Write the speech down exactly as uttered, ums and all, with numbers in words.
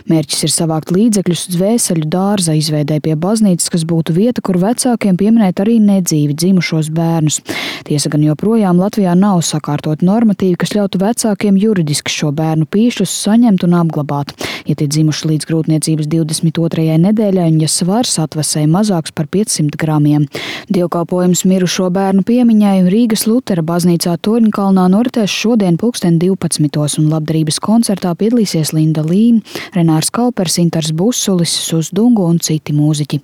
Mērķis ir savākt līdzekļus dvēseļu dārza izveidē pie baznīcas, kas būtu vieta, kur vecākiem pieminēt arī nedzīvi dzimušos bērnus. Tiesa gan joprojām Latvijā nav sakārtot normatīvi, kas ļautu vecākiem juridiski šo bērnu pīšļus saņemt un apglabāt. Ja tie dzimuši līdz grūtniecības divdesmit otrajai nedēļai un ja svars atvasēja mazāks par piecsimt gramiem. Dievkalpojums mirušo bērnu piemiņai Rīgas Lutera baznīcā Torņkalnā noritēs šodien pulksten divpadsmitos un labdarības koncertā piedalīsies Linda Līna, Renārs Kaupers, Intars Busulis, Sus Dungu un citi mūziķi.